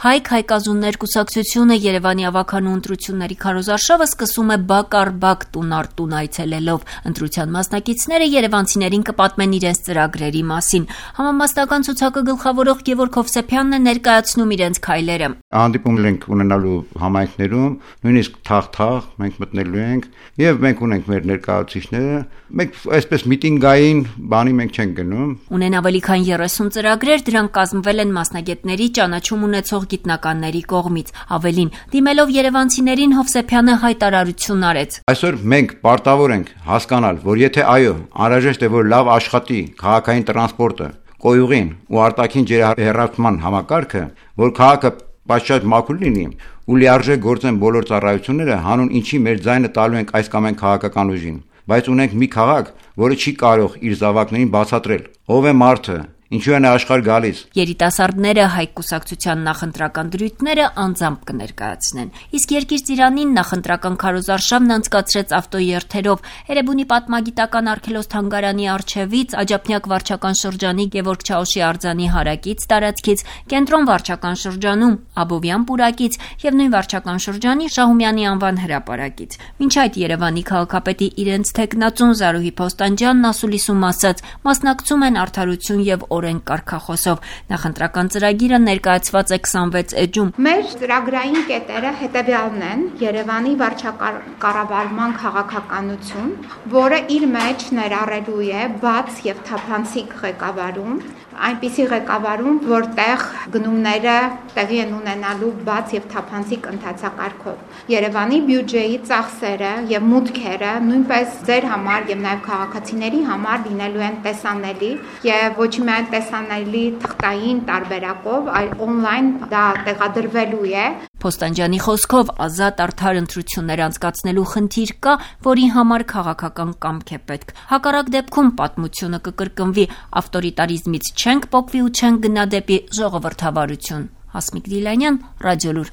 Հայ-Հայկազուններ կուսակցությունը Երևանի ավագանու ընտրությունների քարոզարշավը սկսում է բակ առ բակ տուն առ տուն այցելելով։ Ընտրության մասնակիցները երևանցիներին կպատմեն իրենց ծրագրերի մասին։ Համամասնական ցուցակը գլխավորող Գևորգ Հովսեփյանն է ներկայացնում իրենց քայլերը։ Հանդիպումներ ենք ունենալու համայնքներում, նույնիսկ թաղ մենք մտնելու ենք եւ մենք ունենք մեր ներկայացուցիչները։ Մենք այսպես միտինգային բանի մենք չենք գնում։ Ունեն ավելի քան 30 ծրագրեր, դրանք կազմվել են մասնագետների ճանաչում ունեցող գիտնականների կողմից։ Ավելին, դիմելով երևանցիներին Հովսեփյանը հայտարարություն արեց։ Այսօր մենք պարտավոր ենք հասկանալ, որ եթե այո, անհրաժեշտ է որ լավ աշխատի քաղաքային տրանսպորտը, կոյուղին ու արտաքին ջրահեռացման համակարգը, որ քաղաքը պատշաճ մաքուր լինի ու լիարժեք գործեն բոլոր ծառայությունները, հանուն ինչի մեր ձայնը տալու ենք այս կամ այն քաղաքական ուժին, բայց ունենք մի քաղաք, որը չի կարող իր զավակներին բացատրել, ով է մարդը, ինչու են աշխարհ գալիս։ Երիտասարդները Հայ կուսակցության նախընտրական դրույթները անձամբ կներկայացնեն։ Իսկ Երկիր ծիրանին նախընտրական քարոզարշավն անցկացրեց ավտոերթերով Էրեբունի պատմագիտական արգելոց-թանգարանի առջևից, Աջափնյակ վարչական շրջանի Գևորգ Չաուշի արձանի հարակից տարածքից, Կենտրոն վարչական շրջանում Աբովյան պուրակից եւ նույն վարչական շրջանի Շահումյանի անվան հրապարակից։ Մինչ այդ Երևանի քաղաքապետի իրենց թեկնածուն Զարուհի Փոստանջյանն ասուլիսում ասաց, մասնակցում են Արդարություն եւ օրենք կարգախոսով։ Նախընտրական ծրագիրը ներկայացված է 26 էջում։ Մեր ծրագրային կետերը հետևյալն են՝ Երևանի վարչակառավարման քաղաքականություն, որը իր մեջ ներառելու է բաց եւ թափանցիկ ղեկավարում, այնպիսի ղեկավարում, որտեղ գնումները տեղի են ունենալու բաց եւ թափանցիկ ընթացակարգով։ Երևանի բյուջեի ծախսերը եւ մուտքերը նույնպես ձեր համար եւ նաեւ քաղաքացիների համար լինելու են տեսանելի եւ ոչ միայն տեսանելի թղթային տարբերակով, այլ on-line դա տեղադրվելու է։ Փոստանջյանի խոսքով ազատ արդար ընտրություններ անցկացնելու խնդիր կա, որի համար քաղաքական կամք է պետք։ Հակառակ դեպքում պատմությունը կկրկնվի, ավտորիտարիզմից չենք պոկվի ու չենք գնա դեպի ժողովրդավարություն։ Հասմիկ Դիլանյան, Ռադիոլուր։